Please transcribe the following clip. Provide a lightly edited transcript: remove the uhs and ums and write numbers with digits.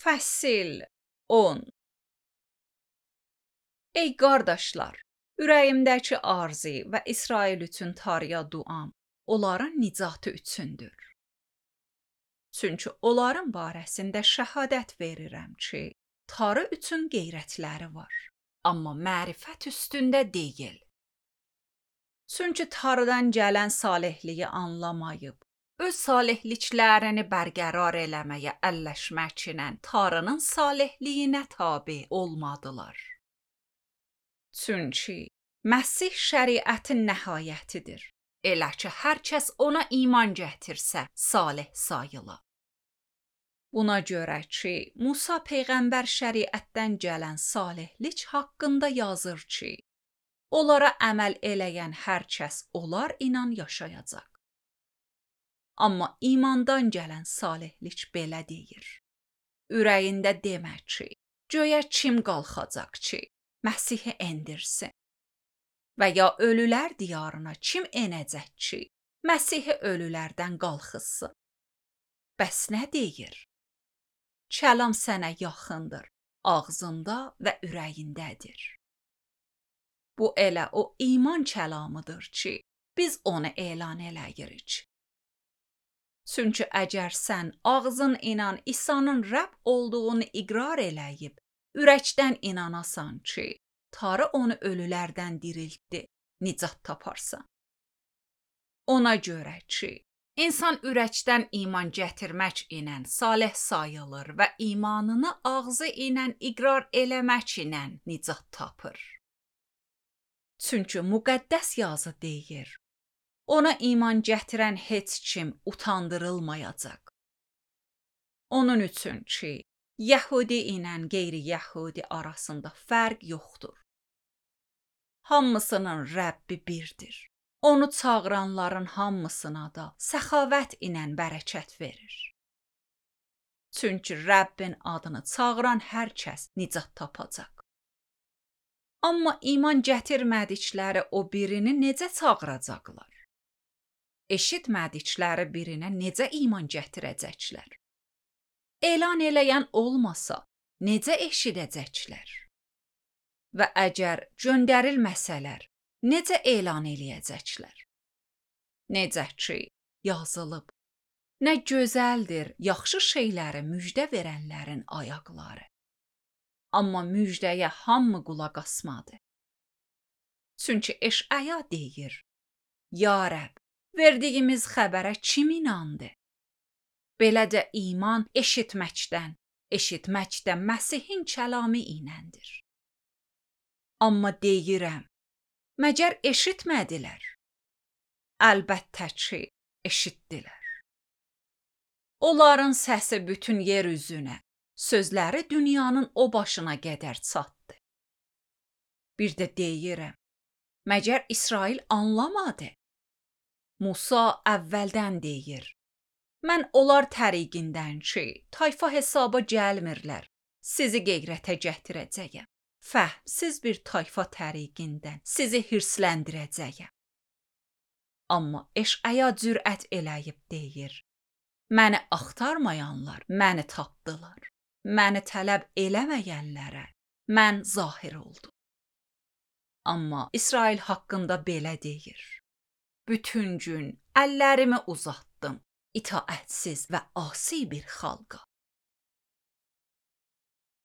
Fəsil 10. Ey qardaşlar, ürəyimdəki arzu və İsrail üçün Tanrıya duam, onların nicatı üçündür. Çünki onların barəsində şəhadət verirəm ki, Tanrı üçün qeyrətləri var, amma mərifət üstündə deyil. Çünki Tanrıdan gələn salihliyi anlamayıb, öz salihliklərini bərqərar eləməyə əlləşməklə Tanrının salihliyinə tabe olmadılar. Çünki Məsih şəriətin nəhayətidir. Elə ki, hər kəs ona iman gətirsə, salih sayıla. Buna görə ki, Musa peyğəmbər şəriətdən gələn salihlik haqqında yazır ki, onlara əməl eləyən hər kəs onlar inan yaşayacaq. Amma imandan gələn salihlik belə deyir. Ürəyində demə ki, göyə kim qalxacaq ki, Məsihi endirsin? Və ya ölülər diyarına kim enəcək ki, Məsihi ölülərdən qalxızsın? Bəs nə deyir? Kəlam sənə yaxındır, ağzında və ürəyindədir. Bu elə o iman kəlamıdır ki, biz onu elan eləyirik. Çünki əgər sən ağzın inan İsa'nın Rəbb olduğunu iqrar eləyib, ürəkdən inanasan ki, Tanrı onu ölülərdən diriltdi, nicat taparsan. Ona görə ki, insan ürəkdən iman gətirmək ilə salih sayılır və imanını ağzı ilə iqrar eləmək ilə nicat tapır. Çünki müqəddəs yazı deyir, ona iman gətirən heç kim utandırılmayacaq. Onun üçün ki, Yəhudi ilə qeyri-Yəhudi arasında fərq yoxdur. Hamısının Rəbbi birdir. Onu çağıranların hamısına da səxavət ilə bərəkət verir. Çünki Rəbbin adını çağıran hər kəs nicat tapacaq. Amma iman gətirmədikləri o birini necə çağıracaqlar? Eşitmədikləri birinə necə iman gətirəcəklər? Elan eləyən olmasa, necə eşidəcəklər? Və əgər göndərilməsələr, necə elan eləyəcəklər? Necə ki, yazılıb, nə gözəldir yaxşı şeyləri müjdə verənlərin ayaqları. Amma müjdəyə hamı qulaq asmadı. Çünki Eşaya deyir, Ya Rəbb, verdiyimiz xəbərə kim inandı? Beləcə iman eşitməkdən, eşitmək də Məsihin kəlamı iləndir. Amma deyirəm, məgər eşitmədilər? Əlbəttə ki, eşitdilər. Onların səsi bütün yer üzünə, sözləri dünyanın o başına qədər çatdı. Bir də deyirəm, məgər İsrail anlamadı? Musa əvvəldən deyir, mən onlar təriqindən ki, tayfa hesaba gəlmirlər, sizi qeyrətə gətirəcəyəm. Fəhmsiz bir tayfa təriqindən sizi hirsləndirəcəyəm. Amma Eşaya cürət eləyib deyir, məni axtarmayanlar məni tapdılar. Məni tələb eləməyənlərə mən zahir oldum. Amma İsrail haqqında belə deyir, bütün gün əllərimi uzatdım itaətsiz və asi bir xalqa.